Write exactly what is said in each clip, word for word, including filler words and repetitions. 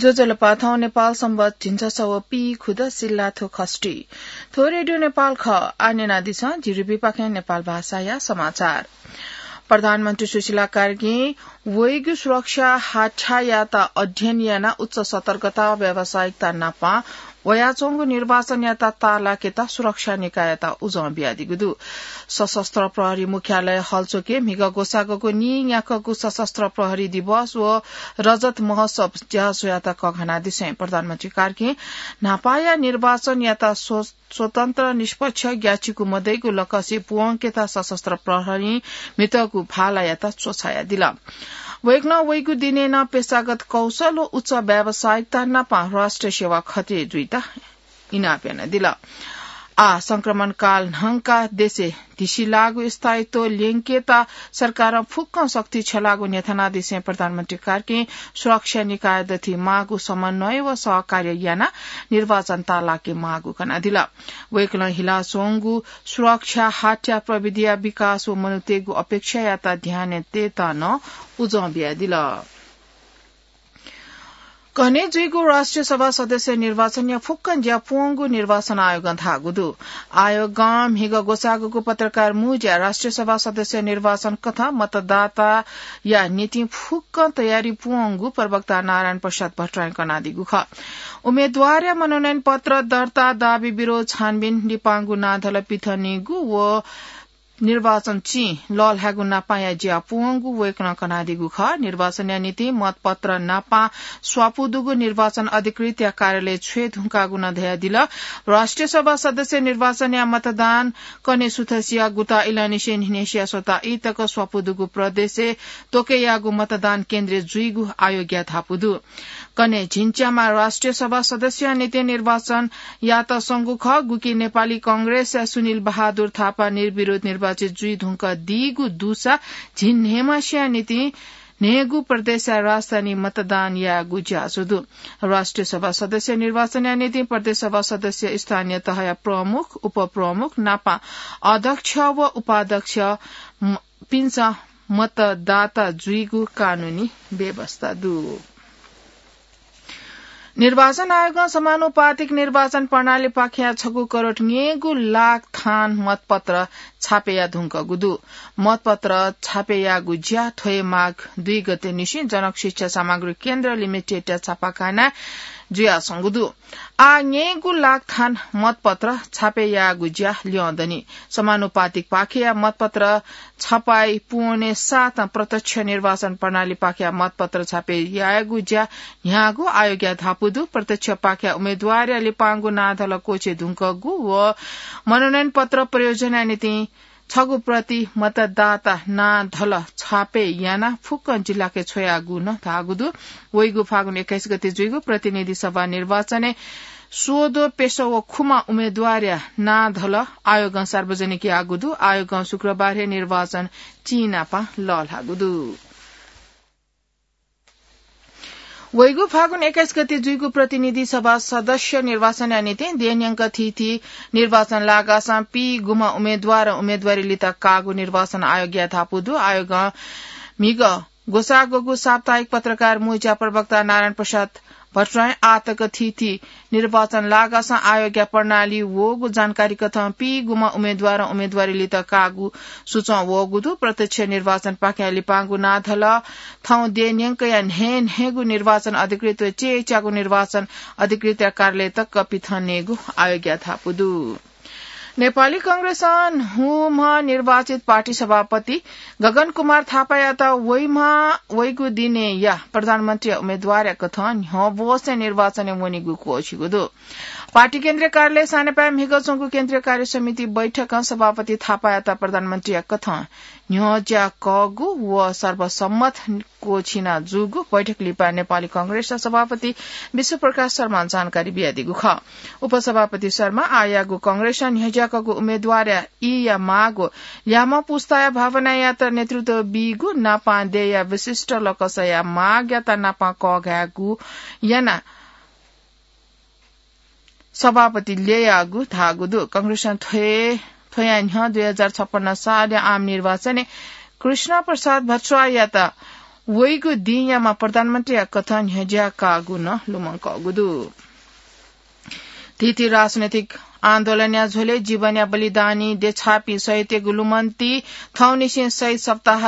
ज्वजलपा, थौं नेपाल संवत झिंछसः व पीखुदँ सिल्लाथ्व खष्ठी। थ्व रेडियो नेपाल खः। आः न्यनादिसँ, जिरिपिपाखें नेपाल भाषाया समाचार। प्रधानमन्त्री सुशीला कार्कीं वइगु सुरक्षा हाथ्यायात अध्ययन यानाः उच्च सतर्कता व व्यावसायिकता नापं वयाच्वंगु निर्वाचनयात ताःलाकेत सुरक्षा निकाययात उजं बियादीगु दु। सशस्त्र प्रहरी मुख्यालय हलचोकय् म्हिगः ग्वसाःगुगु नीन्याक्वःगु सशस्त्र प्रहरी दिवस व रजत महोत्सव ज्याझ्वःयात कःघानादिसें प्रधानमन्त्री कार्कीं न्हापाया निर्वाचनयात स्व-, स्वतन्त्र, निष्पक्ष, ग्याःचिकु मदइगु लकसि पूवंकेत सशस्त्र प्रहरीं म्हितःगु भालायात च्वछायादिल। वय्कलं वइगु दिनय् नं पेशागत कौशल व उच्च व्यावसायिकता नापं राष्ट्रिय सेवा खतय् जुइत इनाप यानादिल। आः संक्रमण काल न्हंकाः देशय् धिसिलाःगु स्थायित्व ल्यंकेत सरकारं फुक्कं शक्ति छ्यलाःगु न्ह्यथनादिसें प्रधानमन्त्री कार्कीं सुरक्षा निकाय दथुइ माःगु समन्वय व सहकार्य यानाः निर्वाचन ताःलाके माःगु कनादिल। वय्कलं हिलाच्वंगु सुरक्षा हाथ्या प्रविधिया विकास व मनूतय्गु अपेक्षायात ध्यानय् तयेत नं उजं बियादिल। कन्हय् जुइगु राष्ट्रिय सभा सदस्य निर्वाचनया फुक्कं ज्या पूवंगु निर्वाचन आयोगं धाःगु दु। आयोगं म्हिगः ग्वसाःगुगु पत्रकार मुँज्याय् राष्ट्रिय सभा सदस्य निर्वाचन कथं मतदाताया निंतिं फुक्कं तयारी पूवंगु प्रवक्ता नारायण प्रसाद भट्टराईं कनादीगु खः। उम्मेदवारया मनोनयन पत्र दर्ता, दाबी विरोध, छानबिन, लिपांगु नां धल पिथनेगु व निर्वाचन चिं लःल्हायेगु नापांया ज्या पूवंगु वय्कलं कनादीगु खः। निर्वाचनया निंतिं मतपत्र नापां स्वापू दुगु निर्वाचन अधिकृतया कार्यालय छ्वये धुंकाःगु नं धयादिल। राष्ट्रिय सभा सदस्य निर्वाचनया मतदान कन्हय् सुथसिया गुता इलंनिसें न्हिनय्सिया स्वता ई तक स्वापू दुगु प्रदेशय् त्वकय्याःगु मतदान केन्द्रय् जुइगु आयोगया धापू दु। कन्हय् झिंच्यामा राष्ट्रिय सभा सदस्यया निंतिं निर्वाचन यात संगु खः, गुकी नेपाली कांग्रेसया सुनिल बहादुर थापा निर्विरोध निर्वाचित जुइ धुंकादीगु दुसा झिंन्हय्मासिया निंतिं न्हय्गू प्रदेशया राजधानी मतदान यायेगु ज्याझ्वः दु। राष्ट्रिय सभा सदस्य निर्वाचनया निंतिं प्रदेश सभा सदस्य, स्थानीय तहया प्रमुख, उपप्रमुख नापं अध्यक्ष व उपाध्यक्ष म-, पिन्सं मतदाता जुइगु कानूनी व्यवस्था दु। निर्वाचन आयोगं समानुपातिक निर्वाचन प्रणालीपाखें छगू करोड न्यय्गू लाख थान मतपत्र छापे याये धुंकूगु दु। मतपत्र छापे यायेगु ज्या थ्व हे माघ दुई गते निसें जनक शिक्षा सामग्री केन्द्र लिमिटेडया छापाखानाय् जुयाच्वंगु दु। आः न्यय्गू लाख थान मतपत्र छापे यायेगु ज्या ल्यं दनि। समानुपातिकपाखेया मतपत्र छपाई पूवने साथं प्रत्यक्ष निर्वाचन प्रणालीपाखेया मतपत्र छापे यायेगु ज्या न्ह्याःगु आयोगया धापू दु। प्रत्यक्षपाखेया उम्मेदवारया लिपांगु नां धल क्वःछिये धुंकूगु व मनोनयन पत्र प्रयोजनया निंतिं छगू प्रति मतदाता नां धल छापे यानाः फुक्कं जिल्लाके छ्वयागु नं धाःगु दु। वइगु फागुन एक्काइस गते जुइगु प्रतिनिधि सभा निर्वाचनय् स्वद्वः, प्यसः व खुमा उम्मेदवारया नां धल आयोगं सार्वजनिक याःगु दु। आयोगं शुक्रबार हे निर्वाचन चिं नापं लःल्हाःगु दु। वइगु फागुन एक्काइस गते जुइगु प्रतिनिधि सभा सदस्य निर्वाचनया निंतिं देय् न्यंक थीथी निर्वाचन लागासं पीगुम्ह उम्मेदवारं उम्मेदवारी लित काःगु निर्वाचन आयोगया धापू दु। आयोगं म्हिगः ग्वसाःगु साप्ताहिक पत्रकार मुँज्या प्रवक्ता नारायण प्रसाद भट्टराईं आःतक थीथी निर्वाचन लागासं आयोगया प्रणाली वःगु जानकारी कथं पीगुम्ह उम्मेदवारं उम्मेदवारी लित काःगु सुचं वःगु दु। प्रत्यक्ष निर्वाचनपाखें लिपांगु नां धल थौं देय् न्यंकया न्हय् न्हय्गु निर्वाचन अधिकृत व च्यय्च्यागु निर्वाचन अधिकृतया कार्यालय तक पिथनेगु आयोगया धापू दु। नेपाली कांग्रेसं न्हूम्ह निर्वाचित पार्टी सभापति गगन कुमार थापायात वइम्ह, वइगु दिनय्या प्रधानमन्त्रीया उम्मेदवारया कथं न्ह्यब्वसे निर्वाचनय् वनेगु क्वःछिगु दु। पार्टी केन्द्रीय कार्यालय सानेपाय् म्हिगः च्वंगु केन्द्रीय कार्य समिति बैठकं सभापति थापायात प्रधानमन्त्रीया कथं न्ह्यज्याकःगु व सर्वसम्मत क्वःछिना जूगु बैठक लिपा नेपाली कांग्रेसया सभापति विश्वप्रकाश शर्मां जानकारी बियादीगु खः। उपसभापति शर्मां आःयागु कांग्रेसं न्ह्यज्याकःगु उम्मेदवारया ईया माःगु ल्याय्म्ह पुस्ताया भावनायात नेतृत्व बीगु नापं देय्या विशिष्ट लकसया मागयात नापं कःघायेगु यानाः सभापति ल्ययागु धाःगु दु। कांग्रेसं थ्व, थ्वया न्ह्यः दुई हजार छप्पन्न सालया आम निर्वाचनय् कृष्ण प्रसाद भट्टराईयात वइगु दिंयाम्ह प्रधानमन्त्रीया कथं न्ह्यज्याकागु नं लुमंकःगु दु। थीथी राजनैतिक आन्दोलनया झ्वलय् जीवनया बलिदानी देछाःपिं शहीदतय्गु लुमन्ति थौंनिसें शहीद सप्ताह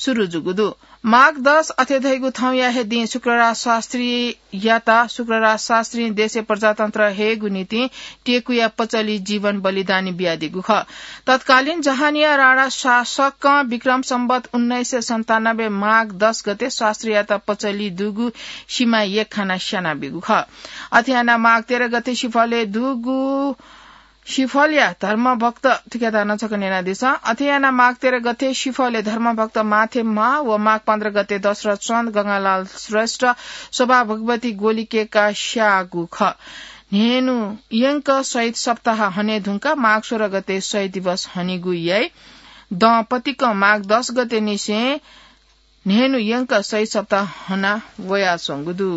सुरु जूगु दु। माघ दस अथे धइगु थौंया हे दिं शुक्रराज शास्त्रीयात शुक्रराज शास्त्रीं देशय् प्रजातन्त्र हयेगु निंतिं टेकुया पचली जीवन बलिदानी बियादीगु खः। तत्कालीन जहानिया राणा शासकं विक्रम सम्वत उन्नाइस सय सन्तानब्बे माघ दस गते शास्त्रीयात पचली दुगु सिमा यक्खाना स्यानाबीगु खः। अथे यानाः माघ तेह्र गते सिफलय् दुगु सिफलया धर्मभक्त, थुकियात नं छकः न्यनादिसँ। अथे यानाः माघ तेह्र गते सिफलय् धर्मभक्त माथे म्हा व माघ पन्ध्र गते दशरथ चन्द, गंगालाल श्रेष्ठ, शोभा भगवती गोलिकेका स्याःगु खः। न्हय्न्हु यंक शहीद सप्ताह हने धुंकाः माघ सोह्र गते शहीद दिवस हनीगु याइ। दँ पतिकं माघ दस गते निसें न्हय्न्हु यंक शहीद सप्ताह हना वयाच्वंगु दु।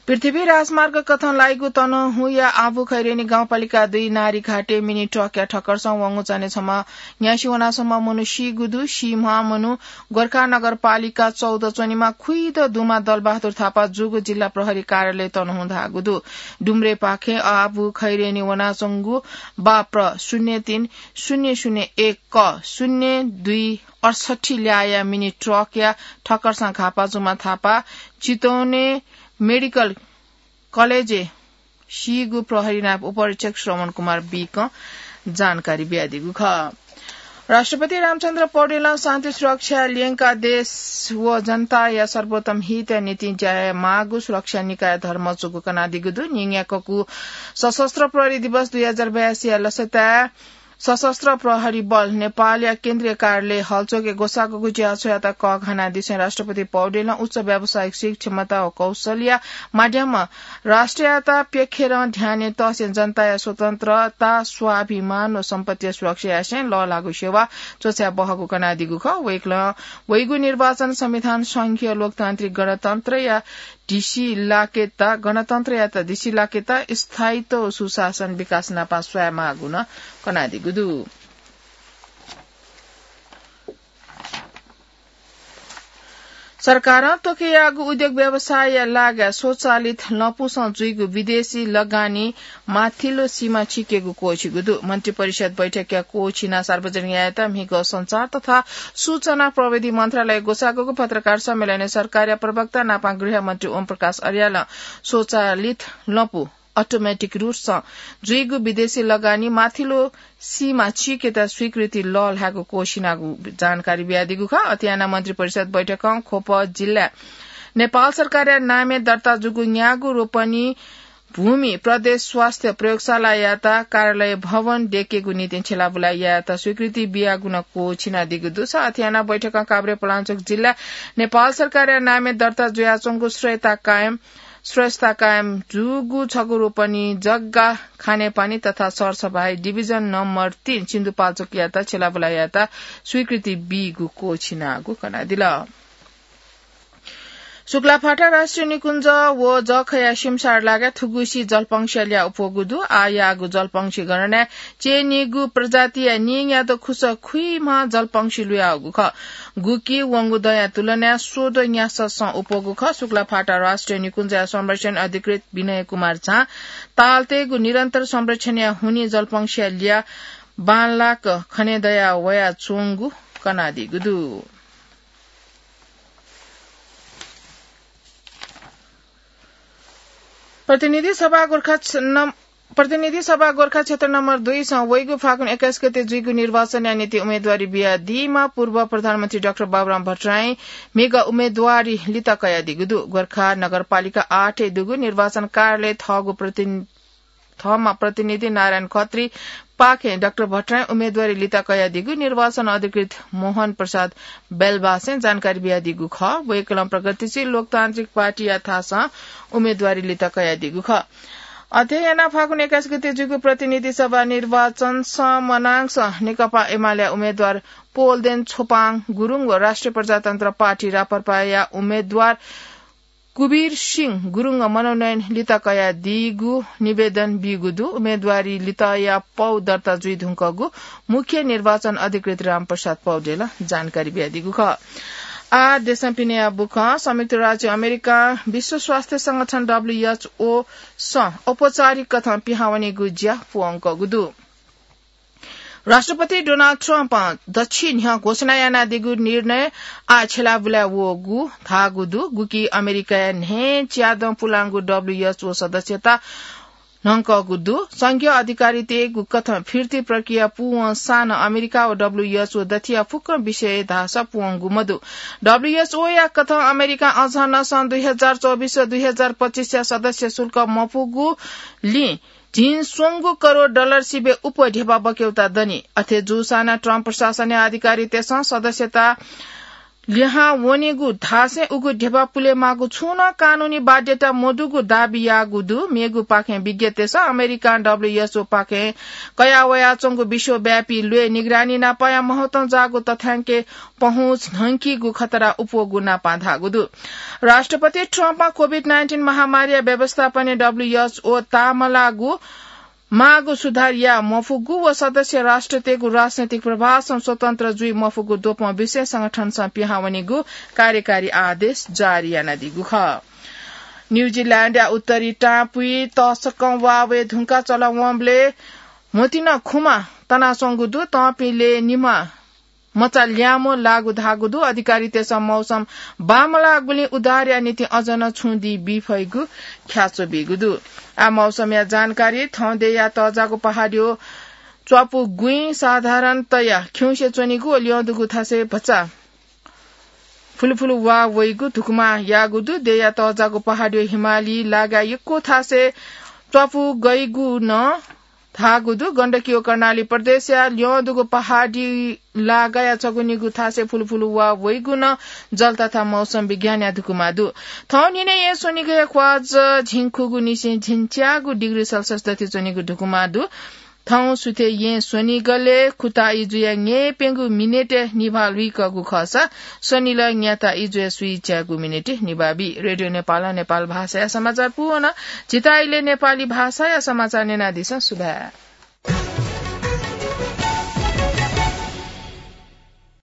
पृथ्वी राजमार्ग कथं लाइगु तनहुँया आबु खैरेनी गाउँपालिका दुई नारीघाटे मिनी ट्रकया ठक्करसं वंगु चान्हय् छम्ह न्यासि वनाः छम्ह मनू सीगु दु। सीम्ह मनू गोर्खा नगरपालिका चौध च्वनेमा खुइद दुमा दलबहादुर थापा जूगु जिल्ला प्रहरी कार्यालय तनहुँ धाःगु दु। डुम्रेपाखें आबु खैरेनी वनाच्वंगु बाप्र शून्य तीन शून्य शून्य एक क शून्य दुई अठसट्ठी ल्याःया मिनी ट्रकया ठक्करसं घाःपाः जूम्ह थापा चितवने मेडिकल कलेजय् सीगु प्रहरी नायब उपरीक्षक श्रवण कुमार बीकं जानकारी बियादीगु खः। राष्ट्रपति रामचन्द्र पौडेलं शान्ति सुरक्षा ल्यंकाः देश व जनताया सर्वोत्तम हितया निंतिं ज्या यायेमाःगु सुरक्षा निकाय धर्मचुकु कनादीगु दु। न्हिंन्याक्वःगु सशस्त्र प्रहरी दिवस दुई हजार बयासीया लसताय् सशस्त्र प्रहरी बल नेपालया केन्द्रीय कार्यालय हलचोकय् ग्वसाःग्वःगु ज्याझ्वःयात कःघानादिसें राष्ट्रपति पौडेलं उच्च व्यावसायिक सीप, क्षमता व कौशलया माध्यमं राष्ट्रयात प्यखेरं ध्यानय् तःसें जनताया स्वतन्त्रता, स्वाभिमान व सम्पत्तिया सुरक्षा यासें लःल्हाःगु सेवा च्वछाये बहःगु कनादीगु खः। वय्कलं वइगु निर्वाचन संविधान, संघीय लोकतान्त्रिक गणतन्त्रया धिसि लाकेत, गणतन्त्रयात धिसि लाकेत स्थायित्व व सुशासन विकास नापं स्वयेमाःगु नं कनादीगु दु। सरकारं त्वःके याःगु उद्योग व्यवसायया लागाय् स्वचालित लँपुसं जुइगु विदेशी लगानी माथिल्लो सीमा छिकेगु क्वःछिगु दु। मन्त्रिपरिषद बैठकया क्वःछिनाः सार्वजनिक यायेत म्हिगः सञ्चार तथा सूचना प्रविधि मन्त्रालयय् ग्वसाःग्वःगु पत्रकार सम्मेलनय् सरकारया प्रवक्ता नापं गृहमन्त्री ओम प्रकाश अर्यालं स्वचालित लँपु, अटोमेटिक रूपसं जुइगु विदेशी लगानी माथिल्लो सीमा छिकेत स्वीकृति लःल्हायेगु क्वःछिनागु जानकारी बियादीगु खः। अथे यानाः मन्त्रिपरिषद बैठकं ख्वप जिल्लाय् नेपाल सरकारया नामय् दर्ता जूगु न्यागू रोपनी भूमि प्रदेश स्वास्थ्य प्रयोगशालायात कार्यालय भवन दयेकेगु निंतिं छ्यलाबुलाय् यायेत स्वीकृति बियागु नं क्वःछिनादीगु दुसा अथे यानाः बैठकं काभ्रे पलाञ्चोक जिल्लाय् नेपाल सरकारया नामय् दर्ता जुयाच्वंगु श्रेयता कायम, श्रेयता कायम जूगु छगू रोपनी जग्गा खानेपानी तथा सरसफाई डिभिजन नम्बर तीन सिन्धुपाल्चोकयात छ्यलाबुलाय् यायेत स्वीकृति बीगु क्वःछिनागु कनादिल। शुक्लाफाटा राष्ट्रिय निकुञ्ज व जःखया सिमसार लागाय् थुगुसी जलपंक्षीया ल्याः उप्वःगु दु। आःयाःगु जलपंक्षी गणनाय् च्यय्‌नीगु प्रजातिया नीन्याद्वः खुसः खुइम्ह जलपंक्षी लुयाःगु खः। गुकी वंगु दँया तुलनाय् स्वद्वः न्यासःसं उप्वःगु खः। शुक्लाफाटा राष्ट्रिय निकुञ्जया संरक्षण अधिकृत विनय कुमार झां तालतय्‌गु निरन्तर संरक्षणया हुनिं जलपंक्षीया ल्याः बांलाक खनेदया वयाच्वंगु कनादीगु दु। प्रतिनिधि सभा गोर्खा छ-, नम-, प्रतिनिधि सभा गोर्खा क्षेत्र नम्बर दुईसं वइगु फागुन एक्काइस गते जुइगु निर्वाचनया निंतिं उम्मेदवारी बियादीम्ह पूर्व प्रधानमन्त्री डाक्टर बाबुराम भट्टराईं म्हिगः उम्मेदवारी लित कयादीगु दु। गोर्खा नगरपालिका आठय् दुगु निर्वाचन कार्यालय थःगु प्रतिनि-, थःम्ह प्रतिनिधि नारायण खत्रीपाखें डाक्टर भट्टराईं उम्मेदवारी लित कयादीगु निर्वाचन अधिकृत मोहन प्रसाद बेलबासें जानकारी बियादीगु खः। वय्‌कलं प्रगतिशील लोकतान्त्रिक पार्टीया थासं उम्मेदवारी लित कयादीगु खः। अथे यानाः फागुन एक्काइस गते जूगु प्रतिनिधि सभा निर्वाचनसं मनांसं नेकपा एमालेया उम्मेदवार पोल्देन छोपाङ गुरुङ व राष्ट्रिय प्रजातन्त्र पार्टी राप्रपाया उम्मेदवार कुबीर सिंह गुरुङं मनोनयन लित कयादीगु निवेदन बीगु दु। उम्मेदवारी लितया पौ दर्ता जुइधुंकूगु मुख्य निर्वाचन अधिकृत रामप्रसाद पौडेलं जानकारी बियादीगु खः। आ देशं पिनेया बुखं संयुक्त राज्य अमेरिका विश्व स्वास्थ्य संगठन डब्ल्यूएचओ सं औपचारिक कथं पिहां वनेगु ज्या पुवंकगु दु। राष्ट्रपति डोनाल्ड ट्रम्पं दच्छि न्ह्यः घोषणा यानादीगु निर्णय आः छ्यलाबुलाय् वःगु धाःगु दु, गुकी अमेरिकाया न्हय् च्यादँ पुलांगु डब्ल्यूएचओ सदस्यता न्हंकःगु दु। संघीय अधिकारीतय्गु कथं फिर्ती प्रक्रिया पूवंसां नं अमेरिका व डब्ल्यूएचओ दथिया फुक्क विषय धाःसा पूवंगु मदु। डब्ल्यूएचओया कथं अमेरिकां अझ नं सन् दुई हजार चौबिस व दुई हजार पच्चिसया सदस्य शुल्क मपुगुलिं झिंस्वंगू करोड डलर सिबें उप्वः ध्यबा बक्यौता दनि। अथे जूसां नं ट्रम्प प्रशासनया अधिकारीतय्सं सदस्यता लिहां वनेगु धासें उगु ध्यबा पुलेमाःगु छुं नं कानूनी बाध्यता मदुगु दाबी याःगु दु। मेगुपाखें विज्ञतय्सं अमेरिकां डब्ल्यूएचओपाखें कयावयाच्वंगु विश्वव्यापी ल्वय् निगरानी नापया महत्वं जाःगु तथ्यांकय् पहुँच न्हंकीगु खतरा उप्वःगु नापं धाःगु दु। राष्ट्रपति ट्रम्पं कोभिड नाइन्टिन महामारीया व्यवस्थापनय् डब्ल्यूएचओ ताःमलाःगु माःगु सुधार याये मफुगु व सदस्य राष्ट्रतय्गु राजनैतिक प्रभावसं स्वतन्त्र जुइ मफुगु द्वपं विषय संगठनसं पिहां वनेगु कार्यकारी आदेश जारी यानादीगु खः। न्यूजिल्याण्डया उत्तरी टापुइ तसकं वाः वये धुंकाः चलावंबलय् म्होतिं खुमा तनाच्वंगु दु। तंपिं लय् निम्ह मचा ल्याय्म्ह लाःगु धाःगु दु। अधिकारीतय्सं मौसम बांमलाःगुलिं उद्धारया निंतिं अझ नं छुं दिं बी फइगु ख्याच्वः बीगु दु। आः मौसमया जानकारी। थौं देय्या तःजाःगु पहाडय् च्वापु गुँइ साधारणतया खिउँसे च्वनीगु व ल्यं दुगु थासय् भचा फुलुफुलु वाः वइगु धुकुमा याःगु दु। देय्या तःजाःगु पहाडय् हिमाली लागाय् यक्व थासय् च्वापु गइगु नं धाःगु दु। गण्डकी व कर्णाली प्रदेशया ल्यं दुगु पहाडी लागाय् छगू निगू थासय् फुलुफुलु वाः वइगु नं जलतथा मौसम विज्ञानया धुकुमा दु। थौं न्हिनय् येँ स्वनिगःया ख्वाः झिंखुगू निसें झिंच्यागू डिग्री सेल्सियस दथि च्वनीगु धुकुमा दु। थौं सुथय् येँ स्वनिगलय् खुता इजुया न्यय्प्यंगू मिनेटय् निभाः लुइकःगु खःसा स्वनिलः न्याता इजुया स्वीच्यागू मिनेटय् निभाः बी। रेडियो नेपालं नेपाल भाषाया समाचार पूवन। झीत इलय् नेपाली भाषाया समाचार न्यनादिसँ। सुभाय्।